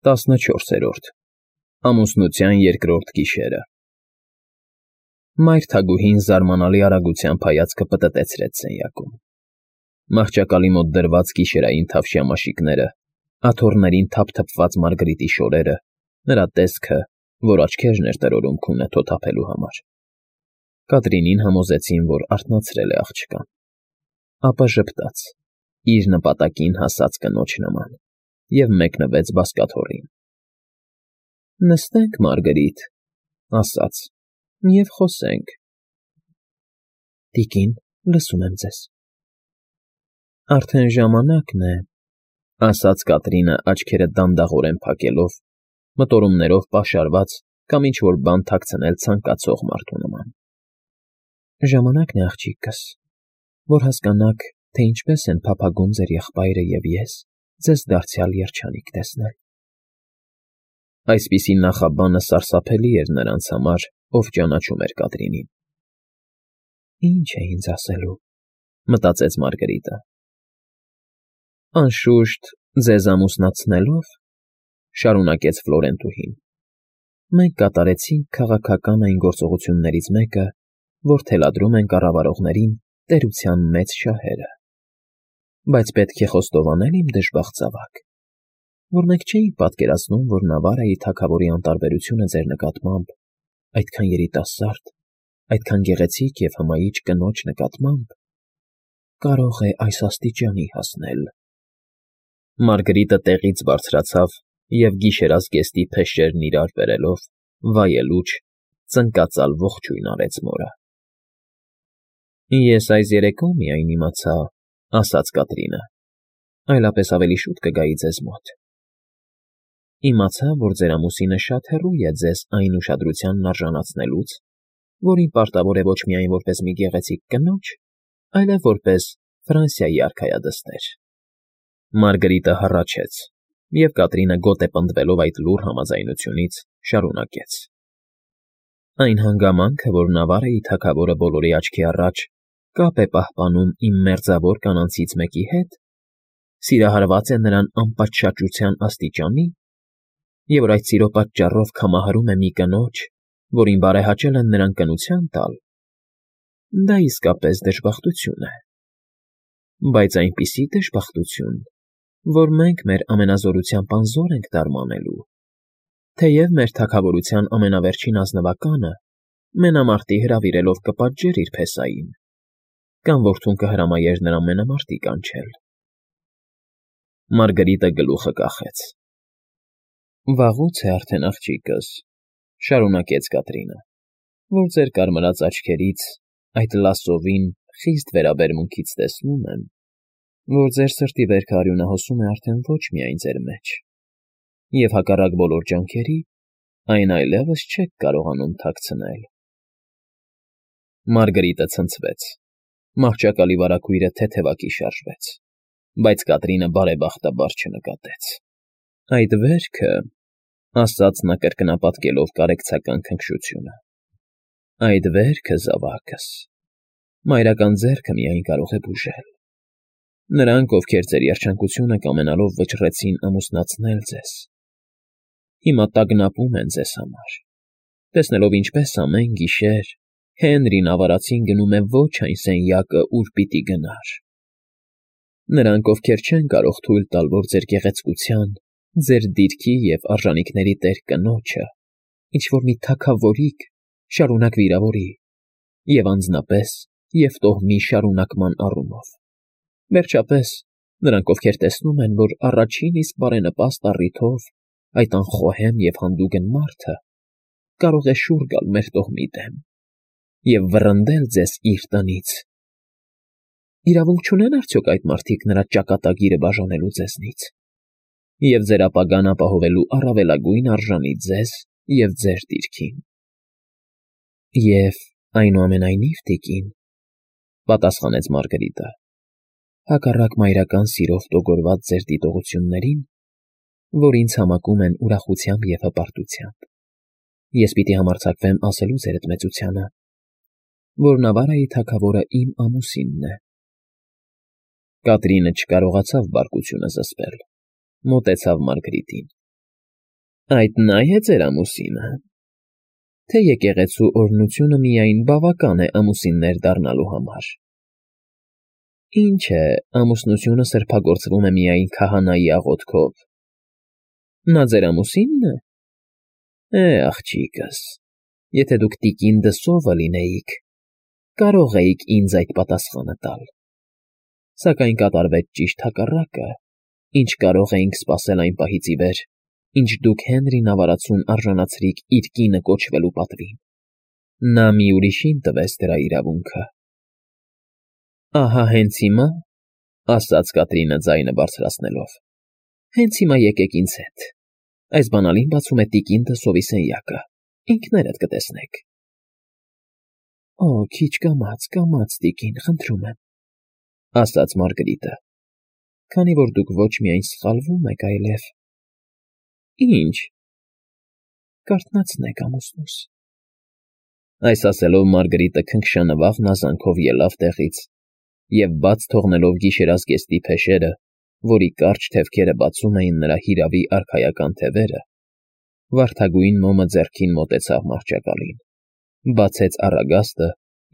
14. Ամուսնության երկրորդ գիշերը Մայր թագուհին զարմանալի արագությամբ հայացքը պտտեցրեց սենյակում։ Մահճակալի մոտ դրված գիշերային թավշյա մաշիկները, աթոռներին թափթփված մարգրիտի շորերը, նրա տեսքը, որ աչքերն էր տրորում քունը թոթափելու համար։ Կատրինին համոզեցին, որ արթնացրել է աղջկան, ապա ժպտաց, իր նպատակին հասած կնոջ նման, և մեկնվեց բազկաթոռին։ «Նստենք, Մարգարիտ», ասաց, «և խոսենք»։ «Տիկին, լսում եմ ձեզ»։ «Արդեն ժամանակն է», ասաց Կատրինը աչքերը դանդաղորեն փակելով, մտորումներով պաշարված կամ ինչ֊որ բան թաքցնել ցանկացող մարդու նման։ «Ժամանակն է, աղջիկս, որ հասկանաք, թե ինչպես են փափագում ձեր եղբայրը և ես ձեզ դարձյալ երջանիկ տեսնել»։ Այսպիսի նախաբանը սարսափելի էր նրանց համար, ով ճանաչում էր Կատրինին։ «Ինչ է ինձ ասելու», մտածեց Մարգարիտը։ «Անշուշտ, ձեզ ամուսնացնելով, շարունակեց Ֆլորենտուհին, մենք կատարեցինք քաղաքական այն գործողություններից մեկը, որ թելադրում են կառավարողներին տերության մեծ շահերը, բայց պետք է խոստովանել, իմ դժբախտ զավակ, որ մենք չէինք պատկերացնում, որ Նավարայի թագավորի անտարբերությունը ձեր նկատմամբ, այդքան երիտասարդ, այդքան գեղեցիկ և հմայիչ կնոջ նկատմամբ կարող է այս աստիճանի հասնել»։ Մարգարիտը տեղից բարձրացավ և գիշերազգեստի փեշերն իրար բերելով, վայելուչ, ծնկածալ ողջույն արեց մորը։ «Ես այս երեկո միայն իմացա», ասաց Կատրինը, «այլապես ավելի շուտ կգայի ձեզ մոտ։ Իմացա, որ ձեր ամուսինը շատ հեռու է ձեզ այն ուշադրությանն արժանացնելուց, որին պարտավոր է ոչ միայն որպես մի գեղեցիկ կնոջ, այլև որպես Ֆրանսիայի արքայադստեր»։ Մարգարիտը հառաչեց, և Կատրինը գոտե պնդվելով այդ լուռ համաձայնությունից, շարունակեց. «Այն հանգամանքը, որ Նավարայի թագավորը բոլորի աչքի առաջ կապ է պահպանում իմ մերձավոր կանանցից մեկի հետ, սիրահարված է նրան անպատշաճության աստիճանի, և որ այդ սիրո պատճառով քամահարում է մի կնոջ, որին բարեհաճել են նրան կնության տալ, դա իսկապես դժբախտություն է, բայց այնպիսի դժբախտություն, որ մենք մեր ամենազորությամբ անզոր ենք դարմանելու, թեև մեր թագավորության ամենավերջին ազնվականը մենամարտի հրավիրելով կպատժեր իր փեսային, կամ որդուն կհրամայեր նրան մենամարտի կանչել»։ Մարգարիտը գլուխը կախեց։ «Վաղուց է արդեն, աղջիկս», շարունակեց Կատրինը, «որ ձեր կարմրած աչքերից, այդ լասովին խիստ վերաբերմունքից տեսնում եմ, որ ձեր սրտի վերքը արյունահոսում է արդեն ոչ միայն ձեր մեջ, և հակառակ բոլոր ջանքերի, այն այլևս չեք կարողանում թաքցնել»։ Մարգարիտը ցնցվեց, մահճակալի վարագույրը թեթևակի շարժվեց, բայց Կատրինը բարեբախտաբար չնկատեց։ «Այդ վերքը», ասաց նա կրկնապատկելով կարեկցական քնքշությունը, «այդ վերքը, զավակս, մայրական ձեռքը միայն կարող է բուժել։ Նրանք, ովքեր ձեր երջանկությունը կամենալով վճռեցին ամուսնացնել ձեզ, հիմա տագնապում են ձեզ համար, տեսնելով ինչպես ամեն գիշեր Հենրին Ավարացին գնում է ոչ այն սենյակը, ուր պիտի գնար։ Նրանք, ովքեր չեն կարող թույլ տալ, որ ձեր գեղեցկության, ձեր դիրքի և արժանիքների տեր կնոջը, ինչ-որ մի թագավորիկ, շարունակ վիրավորի, և անձնապես, և տոհմի շարունակման առումով։ Վերջապես, նրանք, ովքեր տեսնում են, որ առաջին իսկ բարենպաստ առիթով այդ անխոհեմ և հանդուգն մարդը կարող է շուռ գալ մեր տոհմի դեմ և վռնդել ձեզ իր տնից, իրավունք չունե՞ն արդյոք այդ մարդիկ նրա ճակատագիրը բաժանելու ձեզնից և ձեր ապագան ապահովելու առավելագույն արժանի ձեզ և ձեր դիրքին։ «Եվ այնուամենայնիվ, տիկին», պատասխանեց Մարգարիտը, «հակառակ մայրական սիրով տոգորված ձեր դիտողություններին, որ ինձ համակում են ուրախությամբ և հպարտությամբ, ես պիտի համարձակվեմ ասելու ձերդ մեծությանը, որ Նավարայի թագավորը իմ ամուսինն է»։ Կատրինը չկարողացավ բարկությունը զսպել, մոտեցավ Մարգարիտին, Այդ նա է ձեր ամուսինը։ Թե եկեղեցու օրհնությունը միայն բավական է ամուսիններ դառնալու համար։ Ինչ է, ամուսնությունը սրբագործվում է միայն քահանայի աղոթքով։ Նա ձեր ամուսինն է։ Աղջիկս, եթե դուք տիկին Դսովը լինեիք, կարող էիք ինձ այդ պատասխանը տալ։ Սակայն կատարվեց ճիշտ հակառակը, ինչ կարող էինք սպասել այն պահից ի վեր, ինչ դուք Հենրին ավարացուն արժանացրիք իր կինը կոչվելու պատվին։ Նա մի ուրիշին տվեց դրա իրավունքը։ Ահա հենց հիմա, ասաց Կատրինը ձայնը բարձրացնելով, հենց հիմա եկեք ինձ հետ։ Այս բանալին բացում է տիկին Դսովի սենյակը, ինքներդ կտեսնեք։ Օ, քիչ կամաց, տիկին, խնդրում եմ, ասաց Մարգարիտը, քանի որ դուք ոչ միայն սխալվում եք, այլև… Ինչ։ Կարթնացնեք ամուսնուս։ Այս ասելով Մարգարիտը քնքշանվաղ նազանքով ելավ տեղից և բաց թողնելով գիշերազգեստի փեշերը, որի կարճ թևքերը բացում էին նրա հիրավի արքայական թևերը, վարդագույն մոմը ձեռքին մոտեցավ մահճակալին, բացեց առագաստը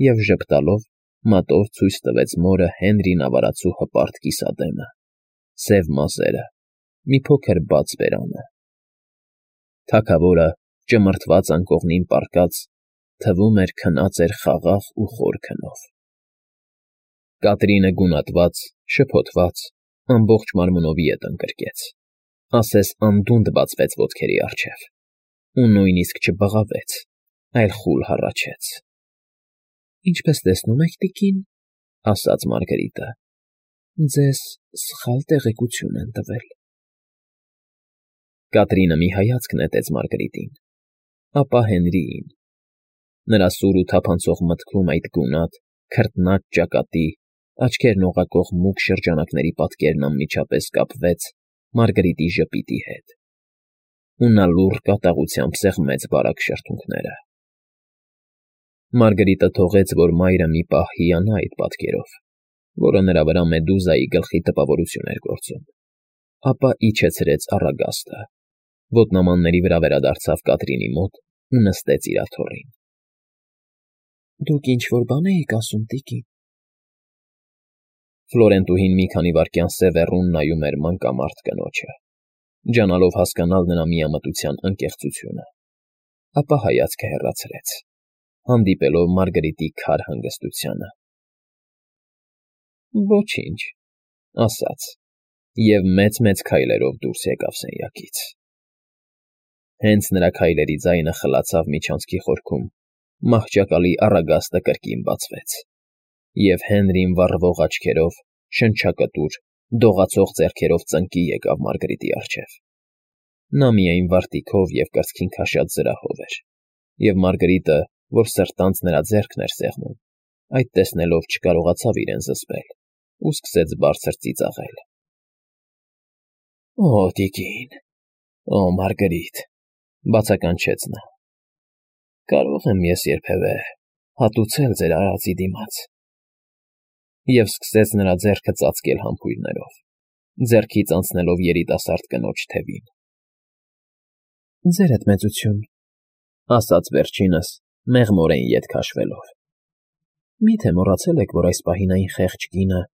և ժպտալով մատով ցույց տվեց մորը Հենրին ավարածու հպարտ կիսադեմը, սև մազերը, մի փոքր բաց բերանը։ Թագավորը, ճմրթված անկողնին պառկած, թվում էր քնած էր խաղաղ ու խոր քնով։ Կատրինը գունատված, շփոթված, ամբողջ մարմնով ետ ընկրկեց, ասես անդունդը բացվեց ոտքերի առջև, ու նույնիսկ չբղավեց, այլ խուլ հառաչեց։ Ինչպես տեսնում եք, տիկին, ասաց Մարգարիտը, ձեզ սխալ տեղեկություն են տվել։ Կատրինը մի հայացք նետեց Մարգարիտին, ապա Հենրիին։ Նրա սուր ու թափանցող մտքում այդ գունատ, քրտնած ճակատի, աչքերն օղակող մուգ շրջանակների պատկերն անմիջապես կապվեց Մարգարիտի ժպիտի հետ, ու նա լուռ կատաղությամբ սեղմեց բարակ շրթունքները։ Մարգարիտը թողեց, որ մայրը մի պահ հիանա այդ պատկերով, որը նրա վրա Մեդուզայի գլխի տպավորություն էր գործում, ապա իջեցրեց առագաստը, ոտնամանների վրա վերադարձավ Կատրինի մոտ ու նստեց իր աթոռին։ Դուք ինչ-որ բան էիք ասում, տիկին։ Ֆլորենտուհին մի քանի վայրկյան սևեռուն նայում էր մանկամարդ կնոջը, ջանալով հասկանալ նրա միամտության անկեղծությունը, ապա հայացքը հեռացրեց, հանդիպելով Մարգարիտի քար հանգստությանը։ Ոչինչ, ասաց, և մեծ-մեծ քայլերով դուրս եկավ սենյակից։ Հենց նրա քայլերի ձայնը խլացավ միջանցքի խորքում, մահճակալի առագաստը կրկին բացվեց, և Հենրին վառվող աչքերով, շնչակտուր, դողացող ձեռքերով ծնկի եկավ Մարգարիտի առջև։ Նա միայն վարտիքով և կրծքին քաշած զրահով էր, և Մարգարիտը, որ սրտանց նրա ձեռքն էր սեղմում, այդ տեսնելով չկարողացավ իրեն զսպել ու սկսեց բարձր ծիծաղել։ Օ, տիկին, օ, Մարգարիտ, բացականչեց նա, կարող եմ ես երբևէ հատուցել ձեր արածի դիմաց։ Եվ սկսեց նրա ձեռքը ծածկել համբույրներով, ձեռքից անցնելով երիտասարդ կնոջ թևին։ Ձերդ մեծություն, ասաց վերջինս, մեղմորեն ետ քաշվելով։ Միթե մոռացել եք, որ այս պահին այն խեղճ կինը,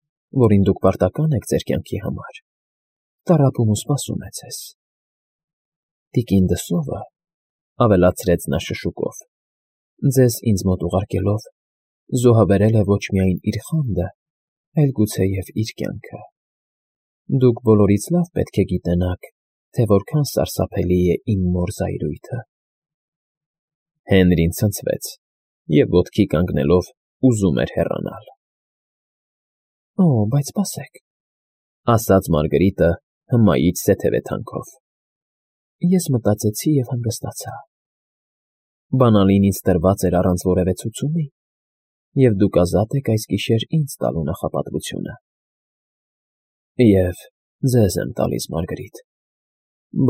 որին դուք պարտական եք ձեր կյանքի համար, տառապում ու սպասում է ձեզ։ Տիկին Դսովը, ավելացրեց նա շշուկով, ձեզ ինձ մոտ ուղարկելով, զոհաբերել է ոչ միայն իր խանդը, այլ գուցեև իր կյանքը։ Դուք բոլորից լավ պետք է գիտենաք, թե որքան սարսափելի է իմ մոր զայրույթը։ Հենրին ցնցվեց և ոտքի կանգնելով ուզում էր հեռանալ։ Օ, բայց սպասեք, ասաց Մարգարիտը հմայիչ սեթևեթանքով։ Ես մտածեցի և հանգստացա։ Բանալին ինձ տրված էր առանց որևէ ցուցումի, և դուք ազատ եք այս գիշեր ինձ տալու նախապատվությունը։ Եվ ձեզ եմ տալիս, Մարգարիտ,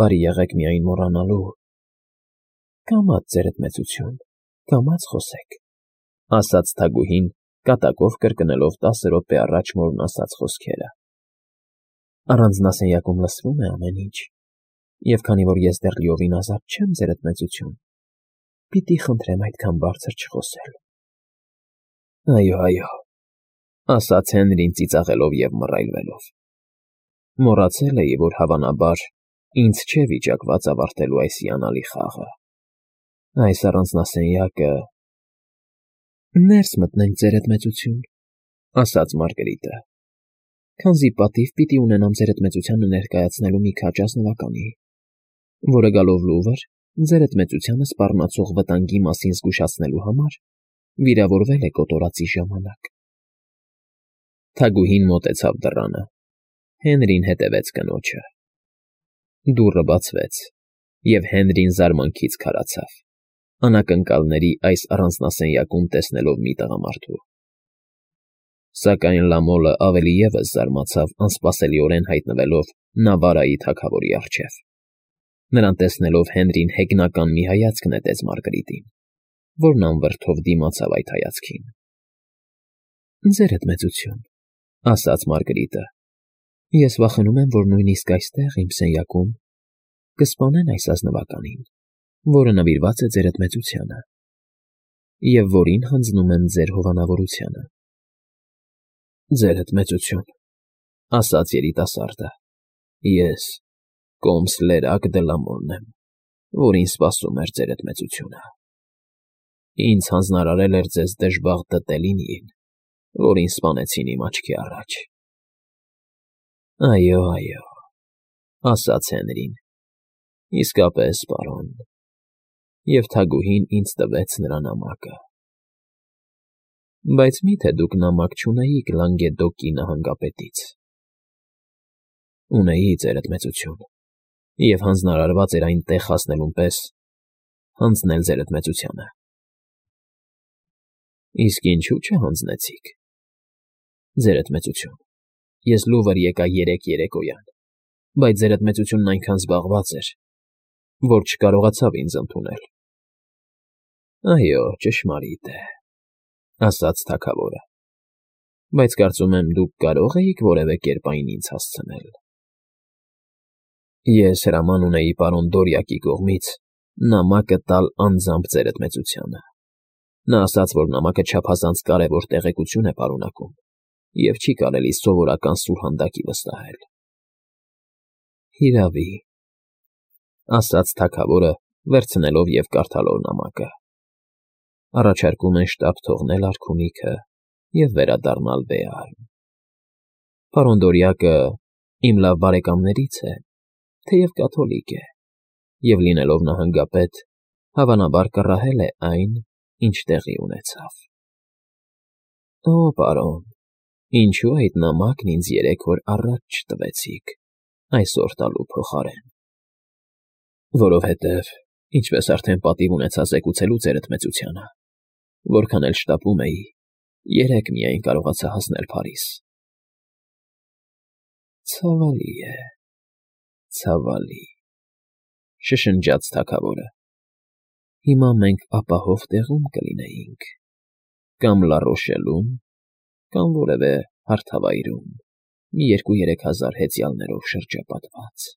բարի եղեք միայն մոռանալու… Կամաց, ձերդ մեծություն, կամաց խոսեք, ասաց թագուհին, կատակով կրկնելով 10 րոպե առաջ մորն ասած խոսքերը։ Առանձնասենյակում լսվում է ամեն ինչ, Եվ քանի որ ես դեռ լիովին ազատ չեմ, ձերդ մեծություն, պիտի խնդրեմ այդքան բարձր չխոսել։ Այո, ասաց Հենրին ծիծաղելով և մռայլվելով։ Մոռացել էի, որ հավանաբար ինձ չէ վիճակված ավարտելու այս հիանալի խաղը։ Այս առանձնասենյակը… Ներս մտնենք, ձերդ մեծություն, ասաց Մարգարիտը, քանզի պատիվ պիտի ունենամ ձերդ մեծությանը ներկայացնելու մի քաջ ազնվականի, որը գալով լուվր, ձերդ մեծությանը սպառնացող վտանգի մասին զգուշացնելու համար վիրավորվել է կոտորածի ժամանակ։ Թագուհին մոտեցավ դռանը։ Հենրին հետևեց կնոջը։ Դուռը բացվեց, և Հենրին զարմանքից քարացավ, անակնկալների այս առանձնասենյակում տեսնելով մի տղամարդու։ Սակայն Լամոլը ավելի ևս զարմացավ անսպասելիորեն հայտնվելով Նավարայի թագավորի առջև։ Նրան տեսնելով Հենրին հեգնական մի հայացք նետեց Մարգարիտին, որն անվրդով դիմացավ այդ հայացքին։ Ձերդ մեծություն, ասաց Մարգարիտը, ես վախենում եմ, որ նույնիսկ այստեղ իմ սենյակում կսպանեն այս ազնվականին, որը նվիրված է ձերդ մեծությանը, և որին հանձնում եմ ձեր հովանավորությանը։ Ձերդ մեծություն, ասաց երիտասարդը, ես Կոմս Լերակ դը Լամորն եմ, որին սպասում էր ձերդ մեծությունը։ Ինձ հանձնարարել էր ձեզ դժբախտ Տելինին, որին սպանեցին իմ աչքի առաջ։ Այո, ասաց Հենրին, իսկապես, պարոն, և թագուհին ինձ տվեց նրա նամակը։ Բայց մի՞թե դուք նամակ չունեիք Լանգեդոկի նահանգապետից։ Ունեի, ձերդ մեծություն, և հանձնարարված էր այնտեղ հասնելուն պես հանձնել ձերդ մեծությանը։ Իսկ ինչու չհանձնեցիք։ Ձերդ մեծություն, ես լուվր եկա 3 երեկոյան, բայց ձերդ մեծությունն այնքան զբաղված էր, որ չկարողացավ ինձ ընդունել։ Այո, ճշմարիտ է, ասաց թագավորը, բայց կարծում եմ դուք կարող էիք որևէ կերպ այն ինձ հասցնել։ Ես հրաման ունեի պարոն Դորիակի կողմից նամակը տալ անձամբ ձերդ մեծությանը։ Նա ասաց, որ նամակը չափազանց կարևոր տեղեկություն է պարունակում և չի կարելի սովորական սուրհանդակի վստահել։ Հիրավի, ասաց թագավորը, վերցնելով և կարդալով նամակը։ Առաջարկում են շտապ թողնել արքունիքը և վերադառնալ Բեարն։ Պարոն Դորիակը իմ լավ բարեկամներից է, թեև կաթոլիկ է, և լինելով նահանգապետ, հավանաբար կռահել է այն, ինչ տեղի ունեցավ։ Օ, պարոն, ինչու այդ նամակն ինձ 3 օր առաջ չտվեցիք, այսօր տալու փոխարեն։ Որովհետև, ինչպես արդեն պատիվ ունեցա զեկուցելու ձերդ մեծությանը, որքան էլ շտապում էի, 3 միայն կարողացա հասնել Փարիզ։ Ցավալի է, ցավալի, շշնջաց թագավորը։ Հիմա մենք ապահով տեղում կլինեինք, կամ Լառոշելում, կամ որևէ հարթավայրում, մի 2-3 հազար հեծյալներով շրջապատված։